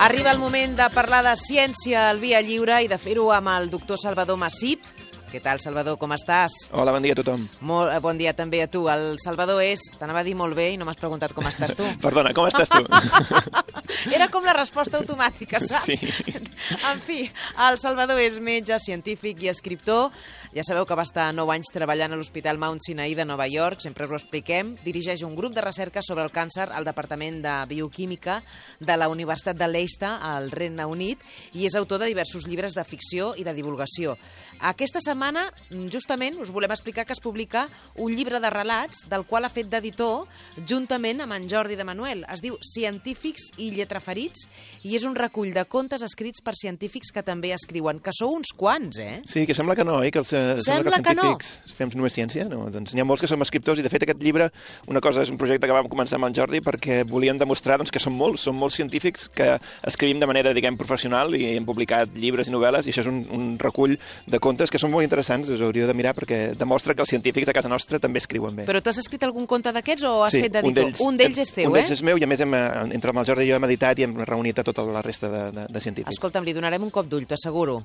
Arriba el moment de parlar de ciència al Via Lliure i de fer-ho amb el doctor Salvador Massip. Què tal, Salvador, com estàs? Hola, bon dia a tothom. Molt bon dia també a tu. El Salvador és... T'anava a dir molt bé i no m'has preguntat com estàs tu. Perdona, com estàs tu? Era com la resposta automàtica, saps? Sí. En fi, el Salvador és metge, científic i escriptor. Ja sabeu que va estar 9 anys treballant a l'Hospital Mount Sinai de Nova York, sempre us ho expliquem. Dirigeix un grup de recerca sobre el càncer al Departament de Bioquímica de la Universitat de Leicester, al Regne Unit, i és autor de diversos llibres de ficció i de divulgació. Aquesta setmana, justament, us volem explicar que es publica un llibre de relats del qual ha fet d'editor juntament amb en Jordi de Manuel. Es diu Científics i lletraferits i és un recull de contes escrits per científics que també escriuen, que sou uns quants, eh? Sí, que sembla que no, que els científics fem només ciència. No? Doncs n'hi ha molts que som escriptors i, de fet, aquest llibre, una cosa, és un projecte que vam començar amb en Jordi perquè volíem demostrar que som molts científics que escrivim de manera, diguem, professional i hem publicat llibres i novel·les i això és un recull de contes que són molt interessants, us hauríeu de mirar perquè demostra que els científics a casa nostra també escriuen bé. Però tu has escrit algun conte d'aquests o has fet d'editor? Un d'ells és teu, Un d'ells és meu i, a més, entre el Jordi i jo hem editat i hem reunit a tota la resta de científics. Escolta'm, li donarem un cop d'ull, t'asseguro.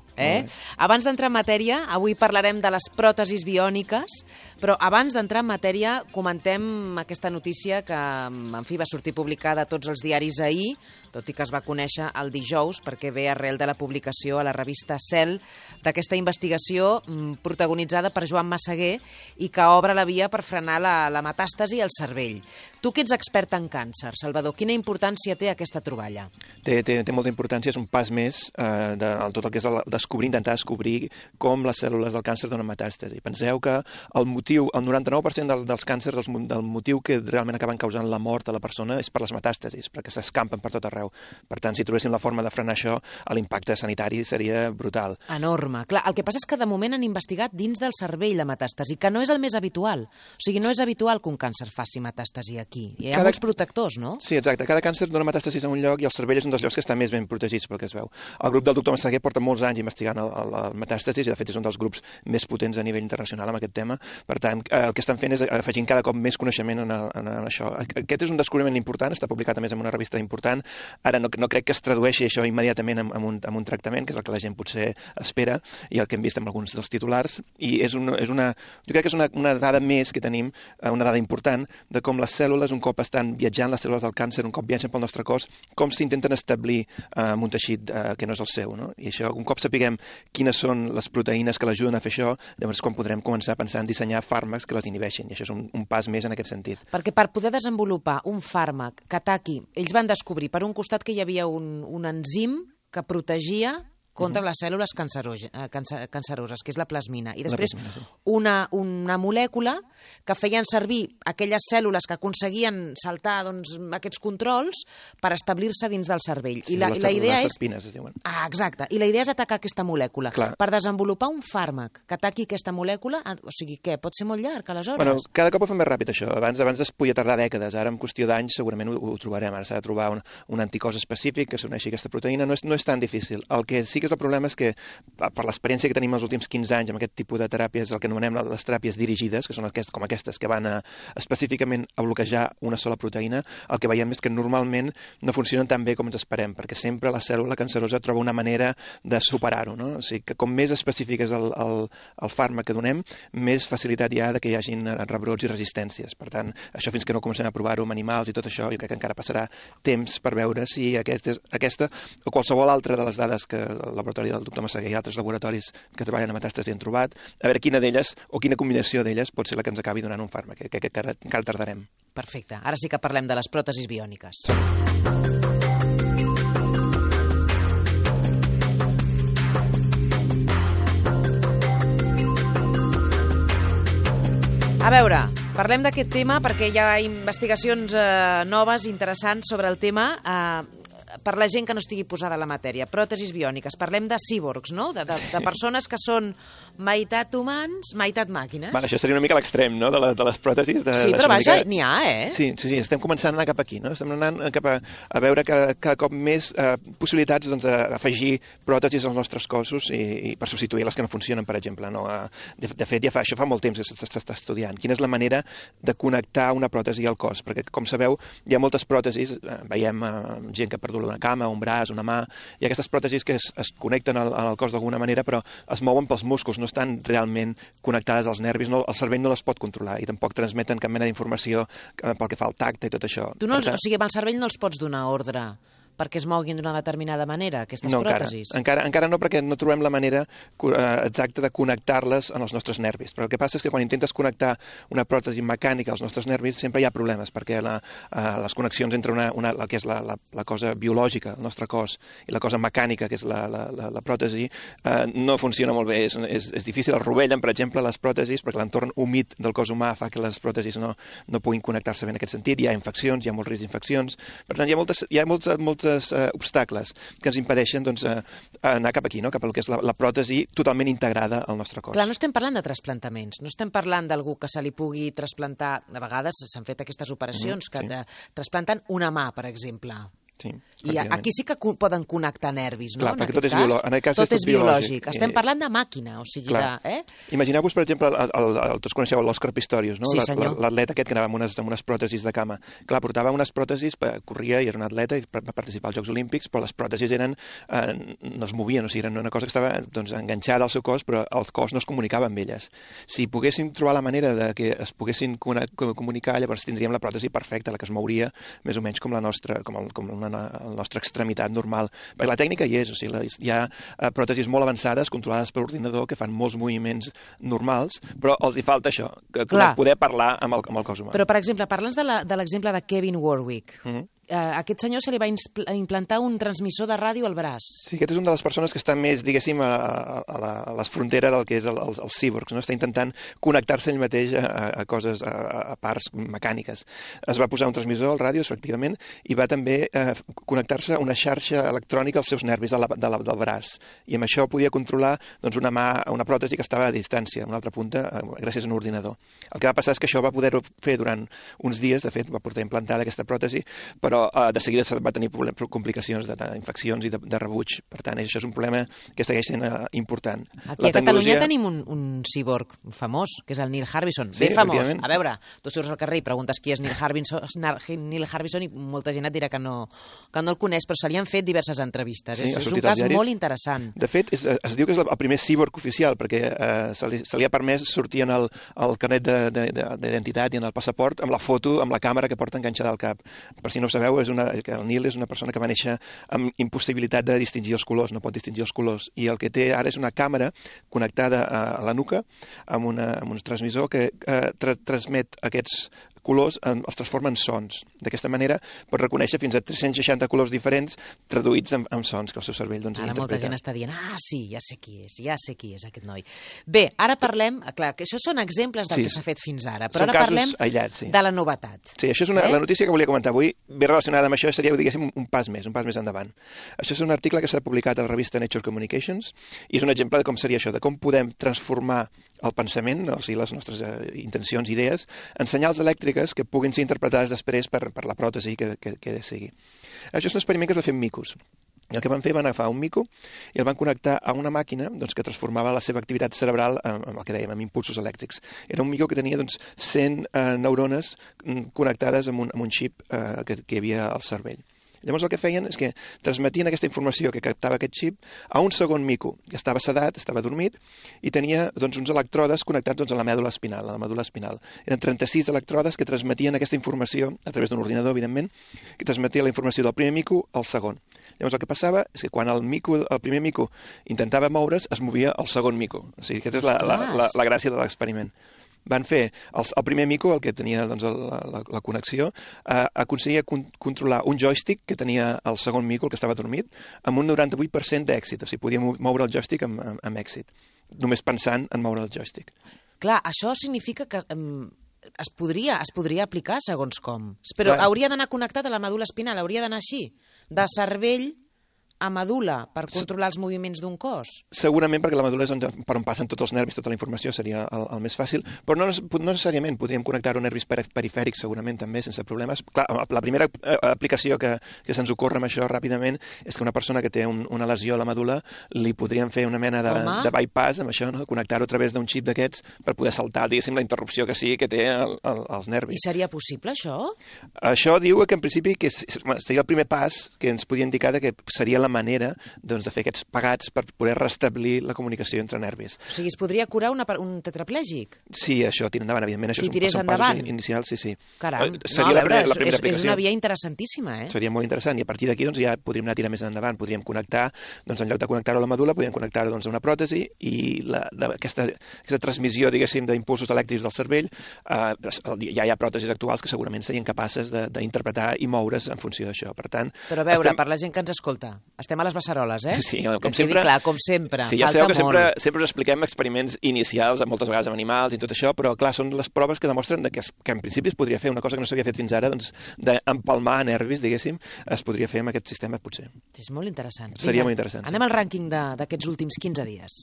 Abans d'entrar en matèria, avui parlarem de les pròtesis biòniques, però abans d'entrar en matèria comentem aquesta notícia que, en fi, va sortir publicada a tots els diaris ahir, tot i que es va conèixer el dijous perquè ve arrel de la publicació a la revista Cell d'aquesta investigació protagonitzada per Joan Massaguer i que obre la via per frenar la metàstasi al cervell. Tu que ets expert en càncer, Salvador, quina importància té aquesta troballa? Té molta importància, és un pas més de tot el que és intentar descobrir com les cèl·lules del càncer donen metàstasi. Penseu que el 99% dels càncers, del motiu que realment acaben causant la mort a la persona és per les metàstasis, perquè s'escampen per tot arreu. Per tant, si trobéssim la forma de frenar això, l'impacte sanitari seria brutal. Enorme. Clar, el que passa és que de moment han investigat dins del cervell la metàstasi, que no és el més habitual. O sigui, no és habitual que un càncer faci metàstasi aquí. Hi ha molts protectors, no? Sí, exacte. Cada càncer dona metàstasis a un lloc i el cervell és un dels llocs que està més ben protegits pel que es veu. El grup del doctor Massaguer porta molts anys investigant el metàstasis i, de fet, és un dels grups més potents a nivell internacional amb aquest tema. Per tant, el que estan fent és afegint cada cop més coneixement en això. Aquest és un descobriment important, està publicat a més en una revista important. Ara no crec que es tradueixi això immediatament amb un tractament, que és el que la gent potser espera, i el que hem vist amb alguns dels titulars, i jo crec que és una dada més que tenim, una dada important, de com les cèl·lules, un cop estan viatjant, les cèl·lules del càncer, un cop viatgen pel nostre cos, com s'intenten establir en un teixit que no és el seu, no? I això, un cop sapiguem quines són les proteïnes que l'ajuden a fer això, llavors quan podrem començar a pensar en dissenyar fàrmacs que les inhibeixin, i això és un pas més en aquest sentit. Perquè per poder desenvolupar un fàrmac que ataqui, ells van descobrir per un costat que hi havia un enzim que protegia contra les cèl·lules canceroses, que és la plasmina. I després una molècula que feien servir aquelles cèl·lules que aconseguien saltar aquests controls per establir-se dins del cervell. Sí, les espines es diuen. Exacte. I la idea és atacar aquesta molècula. Per desenvolupar un fàrmac que ataqui aquesta molècula, o sigui, què? Pot ser molt llarg, aleshores? Bueno, cada cop ho fem més ràpid, això. Abans es podia tardar dècades. Ara, en qüestió d'anys, segurament ho trobarem. Ara s'ha de trobar un anticòs específic que s'uneixi aquesta proteïna. No és tan difícil. El que sí que el problema és que, per l'experiència que tenim els últims 15 anys amb aquest tipus de teràpies, el que anomenem les teràpies dirigides, que són com aquestes que van específicament a bloquejar una sola proteïna, el que veiem és que normalment no funcionen tan bé com ens esperem, perquè sempre la cèl·lula cancerosa troba una manera de superar-ho, no? O sigui que com més específic és el fàrmac que donem, més facilitat hi ha que hi hagin rebrots i resistències. Per tant, això fins que no comencem a provar-ho amb animals i tot això, jo crec que encara passarà temps per veure si aquesta o qualsevol altra de les dades que el laboratori del doctor Massaguer i altres laboratoris que treballen amb metàstasi han trobat, a veure quina d'elles o quina combinació d'elles pot ser la que ens acabi donant un fàrmac, que encara tardarem. Perfecte. Ara sí que parlem de les pròtesis biòniques. A veure, parlem d'aquest tema perquè hi ha investigacions noves, interessants sobre el tema. Per la gent que no estigui posada a la matèria, pròtesis biòniques, parlem de cíborgs, no? De persones que són meitat humans, meitat màquines. Això seria una mica l'extrem, no?, de les pròtesis. Sí, però vaja, n'hi ha, eh? Sí, estem començant a anar cap aquí, no? Estem anant cap a veure cada cop més possibilitats d'afegir pròtesis als nostres cossos i per substituir les que no funcionen, per exemple. De fet, això fa molt temps que s'està estudiant. Quina és la manera de connectar una pròtesi al cos? Perquè, com sabeu, hi ha moltes pròtesis, veiem gent que ha perdut una cama, un braç, una mà. Hi ha aquestes pròtesis que es connecten al cos d'alguna manera, però es mouen pels músculs, no estan realment connectades als nervis, el cervell no les pot controlar i tampoc transmeten cap mena d'informació pel que fa al tacte i tot això. O sigui, amb el cervell no els pots donar ordre perquè es moguin d'una determinada manera, aquestes pròtesis? Encara no, perquè no trobem la manera exacta de connectar-les en els nostres nervis. Però el que passa és que quan intentes connectar una pròtesi mecànica als nostres nervis sempre hi ha problemes, perquè les connexions entre el que és la cosa biològica, el nostre cos, i la cosa mecànica, que és la pròtesi, no funciona molt bé. És difícil. El rovellen, per exemple, les pròtesis, perquè l'entorn humit del cos humà fa que les pròtesis no puguin connectar-se bé en aquest sentit. Hi ha infeccions, hi ha molt risc d'infeccions. Per tant, hi ha molts obstacles que ens impedeixen anar cap aquí, cap al que és la pròtesi totalment integrada al nostre cos. Clar, no estem parlant de trasplantaments, no estem parlant d'algú que se li pugui trasplantar. De vegades s'han fet aquestes operacions que trasplanten una mà, per exemple. Sí, i aquí sí que poden connectar nervis, no? Clar, perquè tot és biològic. Estem parlant de màquina, o sigui de... Imagineu-vos, per exemple, tots coneixeu l'Òscar Pistorius, no? Sí, senyor. L'atleta aquest que anava amb unes pròtesis de cama. Clar, portava unes pròtesis, corria i era un atleta i va participar als Jocs Olímpics, però les pròtesis no es movien, o sigui, eren una cosa que estava enganxada al seu cos, però el cos no es comunicava amb elles. Si poguéssim trobar la manera de que es poguessin comunicar, llavors tindríem la pròtesi perfecta, la que es mouria més o menys com la nostra extremitat normal. Perquè la tècnica hi és, o sigui, hi ha pròtesis molt avançades, controlades per ordinador, que fan molts moviments normals, però els hi falta això, poder parlar amb el cos humà. Però, per exemple, parla'ns de l'exemple de Kevin Warwick. A aquest senyor se li va implantar un transmissor de ràdio al braç. Sí, aquest és una de les persones que està més, diguéssim, a les fronteres del que és els cíborgs, no? Està intentant connectar-se ell mateix a coses, a parts mecàniques. Es va posar un transmissor al ràdio, efectivament, i va també connectar-se a una xarxa electrònica als seus nervis del braç. I amb això podia controlar una pròtesi que estava a distància, a una altra punta, gràcies a un ordinador. El que va passar és que això va poder-ho fer durant uns dies, de fet, va portar implantada aquesta pròtesi, però de seguida va tenir complicacions d'infeccions i de rebuig. Per tant, això és un problema que segueix sent important. Aquí a Catalunya tenim un ciborg famós, que és el Neil Harbisson. Sí, famós. A veure, tu surts al carrer i preguntes qui és Neil Harbisson i molta gent et dirà que no el coneix, però se li han fet diverses entrevistes. Sí, és un cas molt interessant. De fet, es diu que és el primer ciborg oficial, perquè se li ha permès sortir en el carnet d'identitat i en el passaport amb la foto, amb la càmera que porta enganxada al cap. Per si no ho sabeu, el Neil és una persona que va néixer amb impossibilitat de distingir els colors, no pot distingir els colors, i el que té ara és una càmera connectada a la nuca amb un transmissor que transmet aquests colors, els transforma en sons. D'aquesta manera pot reconèixer fins a 360 colors diferents traduïts en sons que el seu cervell interpreta. Ara molta gent està dient, sí, ja sé qui és aquest noi. Bé, ara parlem, clar, que això són exemples del que s'ha fet fins ara, però ara parlem de la novetat. Sí, això és la notícia que volia comentar avui, ve relacionada amb això, seria, diguéssim, un pas més endavant. Això és un article que s'ha publicat a la revista Nature Communications i és un exemple de com seria això, de com podem transformar el pensament, o sigui, les nostres intencions, idees, en senyals elèctriques que puguin ser interpretades després per la pròtesi que sigui. Això és un experiment que es va fer amb micos. El que van fer, van agafar un mico i el van connectar a una màquina que transformava la seva activitat cerebral amb el que dèiem, amb impulsos elèctrics. Era un mico que tenia 100 neurones connectades amb un xip que hi havia al cervell. Llavors el que feien és que transmetien aquesta informació que captava aquest xip a un segon mico, que estava sedat, estava dormit, i tenia uns elèctrodes connectats a la mèdula espinal. Eren 36 elèctrodes que transmetien aquesta informació a través d'un ordinador, evidentment, que transmetia la informació del primer mico al segon. Llavors el que passava és que quan el primer mico intentava moure's, es movia el segon mico. O sigui, aquesta és la gràcia de l'experiment. Van fer, el primer mico, el que tenia la connexió, aconseguia controlar un joystick que tenia el segon mico, el que estava dormit, amb un 98% d'èxit. O sigui, podia moure el joystick amb èxit, només pensant en moure el joystick. Clar, això significa que es podria aplicar segons com. Però hauria d'anar connectat a la medul·la espinal, hauria d'anar així, de cervell a medul·la per controlar els moviments d'un cos? Segurament, perquè la medul·la és per on passen tots els nervis, tota la informació, seria el més fàcil, però no necessàriament. Podríem connectar-ho a nervis perifèrics, segurament, també, sense problemes. Clar, la primera aplicació que se'ns ocorre amb això ràpidament és que una persona que té una lesió a la medul·la li podríem fer una mena de bypass amb això, no? Connectar-ho a través d'un xip d'aquests per poder saltar, diguéssim, la interrupció que sigui que té els nervis. I seria possible, això? Això diu que, en principi, seria el primer pas que ens podia indicar que seria la manera de fer aquests pegats per poder restablir la comunicació entre nervis. O sigui, es podria curar un tetraplègic? Sí, això tira endavant, evidentment. Si tirés endavant? Inicials, sí. Caram, és una via interessantíssima, eh? Seria molt interessant, i a partir d'aquí ja podríem anar a tirar més endavant. Podríem connectar, en lloc de connectar-ho a la medul·la, podríem connectar-ho a una pròtesi, i aquesta transmissió, diguéssim, d'impulsos elèctrics del cervell, ja hi ha pròtesis actuals que segurament serien capaces d'interpretar i moure's en funció d'això. Per tant... Però a veure, per la gent que ens escolta, estem a les beceroles, eh? Sí, com sempre. Clar, com sempre, sí, ja sabeu que sempre us expliquem experiments inicials, moltes vegades amb animals i tot això, però clar, són les proves que demostren que en principi es podria fer una cosa que no s'havia fet fins ara, doncs, d'empalmar nervis, diguéssim, es podria fer amb aquest sistema, potser. És molt interessant. Seria molt interessant. Anem al rànquing d'aquests últims 15 dies.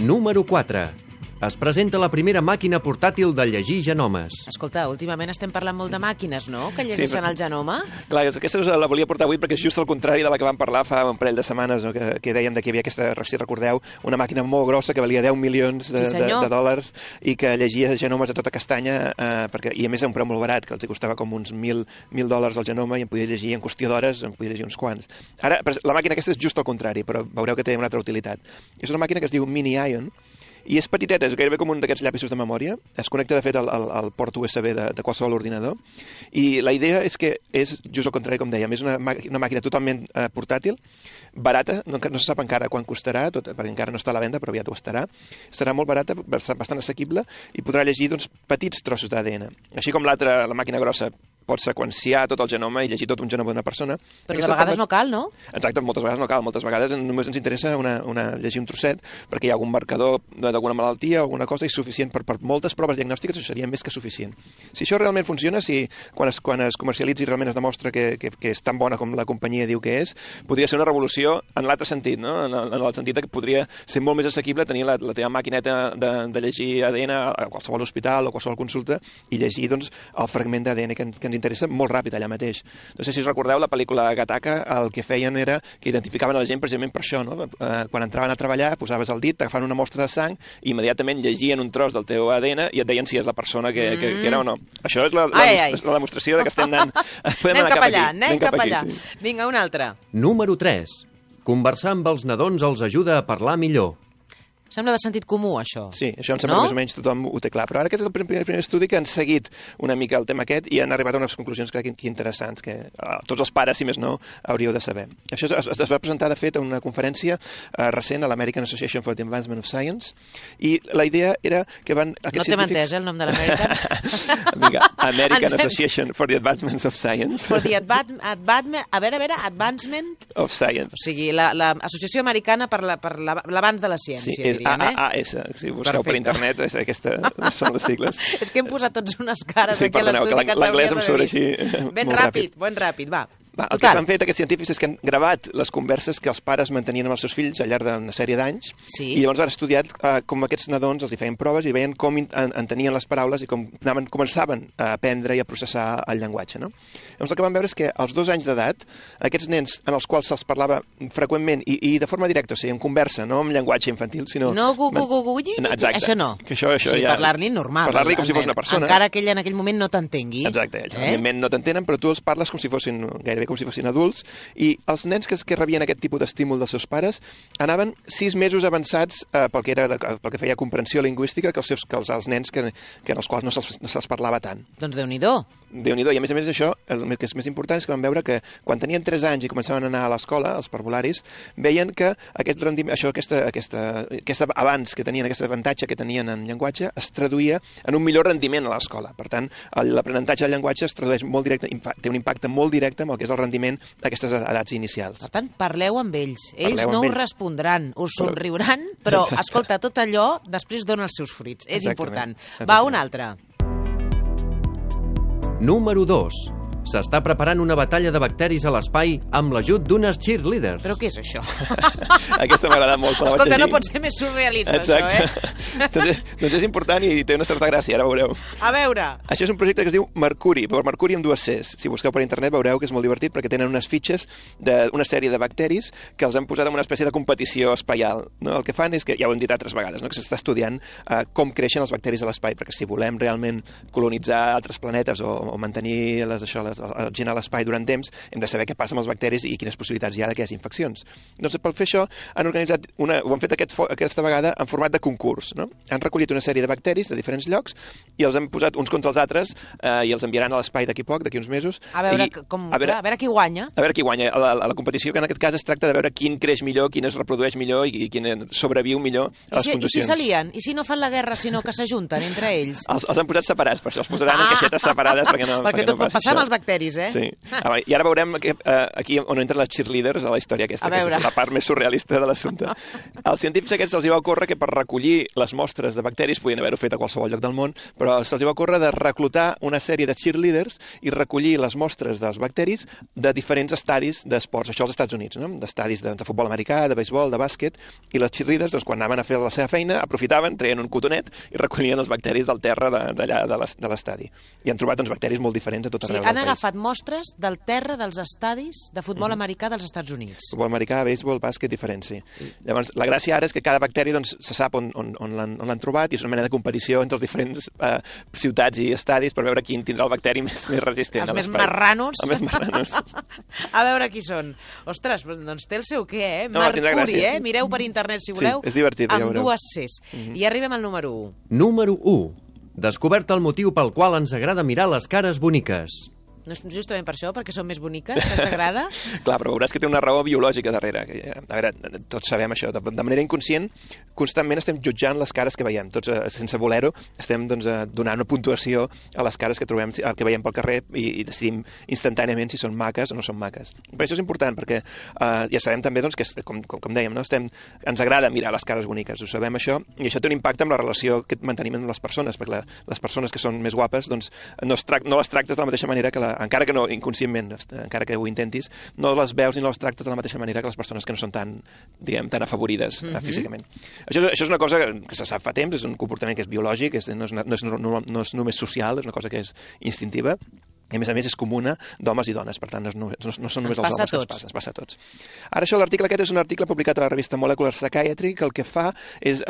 Número 4. Es presenta la primera màquina portàtil de llegir genomes. Escolta, últimament estem parlant molt de màquines, no?, que llegeixen el genoma. Clar, aquesta la volia portar avui perquè és just el contrari de la que vam parlar fa un parell de setmanes, no? que dèiem que hi havia aquesta, si recordeu, una màquina molt grossa que valia 10 milions de dòlars i que llegia genomes a tota castanya, i a més a un preu molt barat, que els costava com uns $1.000 el genoma, i en podia llegir en qüestió d'hores, en podia llegir uns quants. Ara, la màquina aquesta és just el contrari, però veureu que té una altra utilitat. És una màquina que es diu Mini-Ion, i és petiteta, és gairebé com un d'aquests llapisos de memòria. Es connecta, de fet, al port USB de qualsevol ordinador. I la idea és que és just el contrari, com dèiem. És una màquina totalment portàtil, barata, no se sap encara quan costarà, perquè encara no està a la venda, però aviat ho estarà. Serà molt barata, bastant assequible, i podrà llegir petits trossos d'ADN. Així com la màquina grossa pot seqüenciar tot el genoma i llegir tot un genoma d'una persona. Però de vegades no cal, no? Exacte, moltes vegades no cal. Moltes vegades només ens interessa llegir un trosset perquè hi ha algun marcador d'alguna malaltia o alguna cosa, i suficient per moltes proves diagnòstiques, això seria més que suficient. Si això realment funciona, si quan es comercialitzi realment es demostra que és tan bona com la companyia diu que és, podria ser una revolució en l'altre sentit, no? En el sentit que podria ser molt més assequible tenir la teva maquineta de llegir ADN a qualsevol hospital o qualsevol consulta i llegir doncs, el fragment d'ADN que ens interessa molt ràpid allà mateix. No sé si us recordeu la pel·lícula Gattaca, el que feien era que identificaven la gent precisament per això, no? Quan entraven a treballar, posaves el dit, t'agafaven una mostra de sang i immediatament llegien un tros del teu ADN i et deien si és la persona que era o no. Això és la demostració de que estem anant... Anem cap allà. Sí. Vinga, un altre. Número 3. Conversar amb els nadons els ajuda a parlar millor. Sembla de sentit comú, això. Sí, això em sembla que més o menys tothom ho té clar. Però ara aquest és el primer estudi que han seguit una mica el tema aquest i han arribat a unes conclusions, crec que interessants, que tots els pares, si més no, hauríeu de saber. Això es va presentar, de fet, a una conferència recent a l'American Association for the Advancement of Science, i la idea era que van... No t'hem entès, el nom de l'American? Vinga, American Association for the Advancement of Science. For the Advancement of Science. O sigui, l'Associació Americana per l'Avanç de la Ciència. Sí, és AAS, si busqueu per internet, aquestes són les sigles. És que hem posat tots unes cares aquí a l'estudi que l'anglès em surt així ben ràpid, va. El que han fet aquests científics és que han gravat les converses que els pares mantenien amb els seus fills al llarg d'una sèrie d'anys, i llavors han estudiat com aquests nadons els hi feien proves i veien com entenien les paraules i com començaven a aprendre i a processar el llenguatge. No? Llavors el que van veure és que als 2 anys d'edat, aquests nens en els quals se'ls parlava freqüentment i de forma directa, o sigui, en conversa, no en llenguatge infantil, sinó... No, això no. Això sí, parlar-li normal. Parlar-li com si fos una persona. Encara que ell en aquell moment no t'entengui. Exacte, ells evidentment no t'entenen, però tu els parles com si fossin gairebé com si fossin adults, i els nens que rebien aquest tipus d'estímul dels seus pares anaven 6 mesos avançats pel que feia comprensió lingüística que els nens en els quals no se'ls parlava tant. Doncs Déu-n'hi-do. I a més això, el que és més important és que van veure que quan tenien 3 anys i començaven a anar a l'escola, els parvularis, veien que aquest rendiment, aquest avanç que tenien, aquest avantatge que tenien en llenguatge, es traduïa en un millor rendiment a l'escola. Per tant, l'aprenentatge del llenguatge es tradueix molt directe, té un impacte molt directe amb el que és el rendiment d'aquestes edats inicials. Per tant, parleu amb ells. Ells no us respondran, us somriuran, però, escolta, tot allò després dona els seus fruits. És important. Va, un altre. Número 2. S'està preparant una batalla de bacteris a l'espai amb l'ajut d'unes cheerleaders. Però què és això? Aquesta m'ha agradat molt. Escolta, no pot ser més surrealista, exacte. Això, doncs és important i té una certa gràcia, ara veureu. A veure. Això és un projecte que es diu Mercuri, però Mercuri amb 2 Cs. Si busqueu per internet veureu que és molt divertit perquè tenen unes fitxes d'una sèrie de bacteris que els han posat en una espècie de competició espaial. No? El que fan és que, ja ho hem dit altres vegades, no? que s'està estudiant com creixen els bacteris a l'espai, perquè si volem realment colonitzar altres planetes o mantenir la gent a l'espai durant temps, hem de saber què passa amb els bacteris i quines possibilitats hi ha que hi hagi infeccions. Doncs per fer això han organitzat ho han fet aquesta vegada en format de concurs. No? Han recollit una sèrie de bacteris de diferents llocs i els han posat uns contra els altres i els enviaran a l'espai d'aquí poc, d'aquí uns mesos. A veure qui guanya. A veure qui guanya. La competició, que en aquest cas es tracta de veure quin creix millor, quin es reprodueix millor i quin sobreviu millor a les condicions. I si s'alien? I si no fan la guerra, sinó que s'ajunten entre ells? Els han posat separats, per això els posaran en caixetes separades perquè tot pot passar amb els bacteris, eh? Sí. I ara veurem aquí on entren les cheerleaders a la història aquesta, que és la part més surrealista de l'assumpte. Als científics aquests se'ls va ocórrer que per recollir les mostres de bacteris, podien haver-ho fet a qualsevol lloc del món, però se'ls va ocórrer de reclutar una sèrie de cheerleaders i recollir les mostres dels bacteris de diferents estadis d'esports, això als Estats Units, no? D'estadis de futbol americà, de béisbol, de bàsquet, i les cheerleaders, doncs, quan anaven a fer la seva feina, aprofitaven, treien un cotonet i recollien els bacteris del terra d'allà de l'estadi. I han trobat bacteris molt diferents a tot arreu del país. Han agafat mostres del terra dels estadis de futbol americà dels Estats Units. Futbol americà, béisbol, bàsquet, diferent, sí. Llavors, la gràcia ara és que cada bacteri se sap on l'han trobat i és una mena de competició entre els diferents ciutats i estadis per veure quin tindrà el bacteri més resistent. Els més marranos. Els més marranos. A veure qui són. Ostres, doncs té el seu què, eh? No, Mercuri, eh? Mireu per internet si voleu. Sí, és divertit, ja veureu. Amb 2 Cs. I arribem al número 1. Número 1. Descobert el motiu pel qual ens agrada mirar les cares boniques. No és justament per això, perquè són més boniques, que ens agrada? Clar, però veuràs que té una raó biològica darrere. A veure, tots sabem això. De manera inconscient, constantment estem jutjant les cares que veiem. Tots, sense voler-ho, estem donant una puntuació a les cares que trobem, que veiem pel carrer i decidim instantàniament si són maques o no són maques. Per això és important, perquè ja sabem també que, com dèiem, no? Ens agrada mirar les cares boniques, ho sabem això, i això té un impacte amb la relació que mantenim amb les persones, perquè les persones que són més guapes no les tractes de la mateixa manera que encara que no inconscientment, encara que ho intentis, no les veus ni les tractes de la mateixa manera que les persones que no són tan afavorides físicament. Això és una cosa que se sap fa temps, és un comportament que és biològic, no és només social, és una cosa que és instintiva, i a més és comuna d'homes i dones, per tant no són només els homes que es passa a tots. Ara això, l'article aquest és un article publicat a la revista Molecular Psychiatry que el que fa és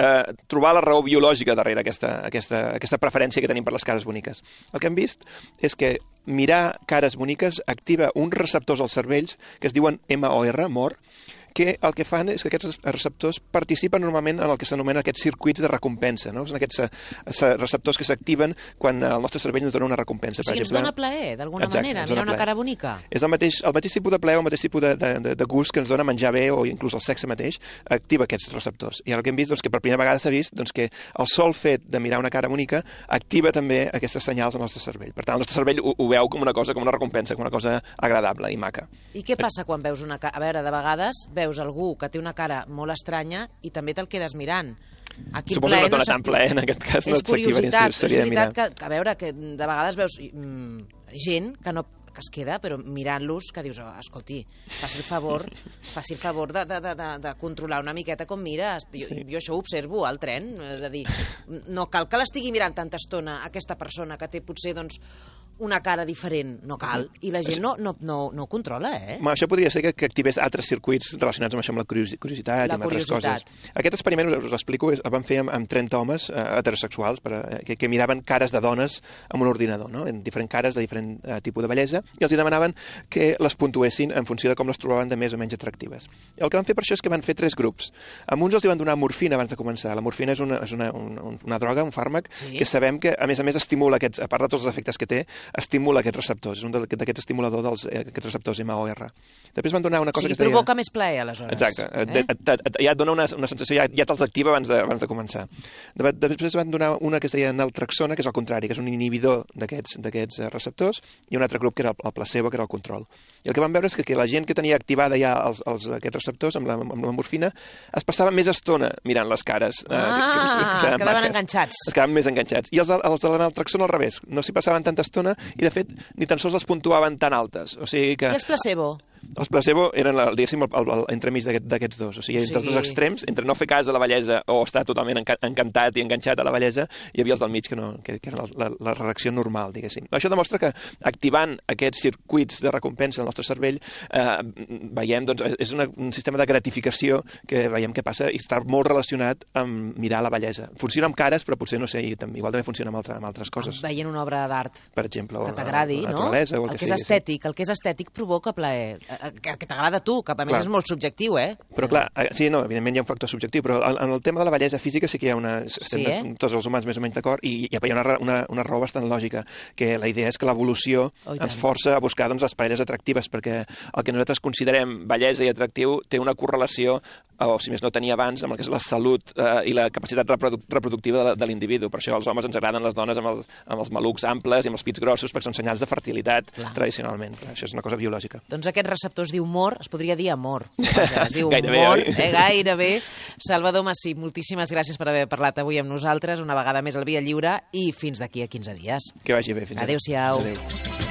trobar la raó biològica darrere aquesta preferència que tenim per les cares boniques. El que hem vist és que mirar cares boniques activa uns receptors als cervells que es diuen MOR, que el que fan és que aquests receptors participen normalment en el que s'anomena aquests circuits de recompensa, no? Són aquests receptors que s'activen quan el nostre cervell ens dona una recompensa. O sigui, ens dona plaer, d'alguna manera, mirar una cara bonica. És el mateix tipus de plaer o el mateix tipus de gust que ens dona menjar bé o inclús el sexe mateix, activa aquests receptors. I el que hem vist, que per primera vegada s'ha vist que el sol fet de mirar una cara bonica activa també aquestes senyals al nostre cervell. Per tant, el nostre cervell ho veu com una cosa, com una recompensa, com una cosa agradable i maca. I què passa quan veus una cara? A veure, de vegades veus algú que té una cara molt estranya i també te'l quedes mirant. Suposo que no dona tant plaer, en aquest cas no s'activa ni si seria de mirar. És curiositat, a veure, que de vegades veus gent que es queda, però mirant-los, que dius, escolti, faci el favor de controlar una miqueta com mires. Jo això ho observo al tren, de dir, no cal que l'estigui mirant tanta estona aquesta persona que té potser, una cara diferent, no cal, i la gent no ho controla, eh? Això podria ser que activés altres circuits relacionats amb això, amb la curiositat i amb altres coses. Aquest experiment, us l'explico, el van fer amb 30 homes heterosexuals que miraven cares de dones amb un ordinador, no? En diferents cares de diferent tipus de bellesa, i els demanaven que les puntuessin en funció de com les trobaven de més o menys atractives. I el que van fer per això és que van fer 3 grups. A uns els van donar morfina abans de començar. La morfina és una droga, un fàrmac, que sabem que, a més estimula aquests, a part de tots els efectes que té, estimula aquests receptors, és un d'aquests estimuladors d'aquests receptors MOR. Després van donar una cosa que es deia... provoca més plaer, aleshores. Exacte, ja et dona una sensació, ja te'ls activa abans de començar. Després van donar una que es deia naltrexona, que és el contrari, que és un inhibidor d'aquests receptors, i un altre grup que era el placebo, que era el control. I el que van veure és que la gent que tenia activada ja aquests receptors amb la morfina es passava més estona mirant les cares. Es quedaven enganxats. Es quedaven més enganxats. I els de la naltrexona al revés, no s'hi passaven tanta estona, i de fet ni tan sols les puntuaven tan altes. O sigui que... I els placebo? Els placebo eren, diguéssim, el entremig d'aquests dos. O sigui, entre els dos extrems, entre no fer cas a la bellesa o estar totalment encantat i enganxat a la bellesa, hi havia els del mig que era la reacció normal, diguéssim. Això demostra que activant aquests circuits de recompensa del nostre cervell veiem, doncs, és un sistema de gratificació que veiem que passa i està molt relacionat amb mirar la bellesa. Funciona amb cares, però potser, no sé, igual també funciona amb altres coses. Veient una obra d'art. Per exemple, que t'agradi, no? El que és estètic provoca plaer. Que t'agrada a tu, que a més és molt subjectiu, eh? Però clar, sí, no, evidentment hi ha un factor subjectiu, però en el tema de la bellesa física sí que hi ha tots els humans més o menys d'acord, i hi ha una raó bastant lògica, que la idea és que l'evolució ens força a buscar les parelles atractives, perquè el que nosaltres considerem bellesa i atractiu té una correlació, o si més no tenia abans, amb el que és la salut i la capacitat reproductiva de l'individu. Per això als homes ens agraden les dones amb els malucs amples i amb els pits grossos, perquè són senyals de fertilitat tradicionalment. Això és una cosa biològica. Doncs aquest receptor es diu humor, es podria dir amor. Es diu gairebé, humor, gairebé. Salvador Massip, moltíssimes gràcies per haver parlat avui amb nosaltres, una vegada més al Via Lliure, i fins d'aquí a 15 dies. Que vagi bé. Fins Adéu-siau. Adéu.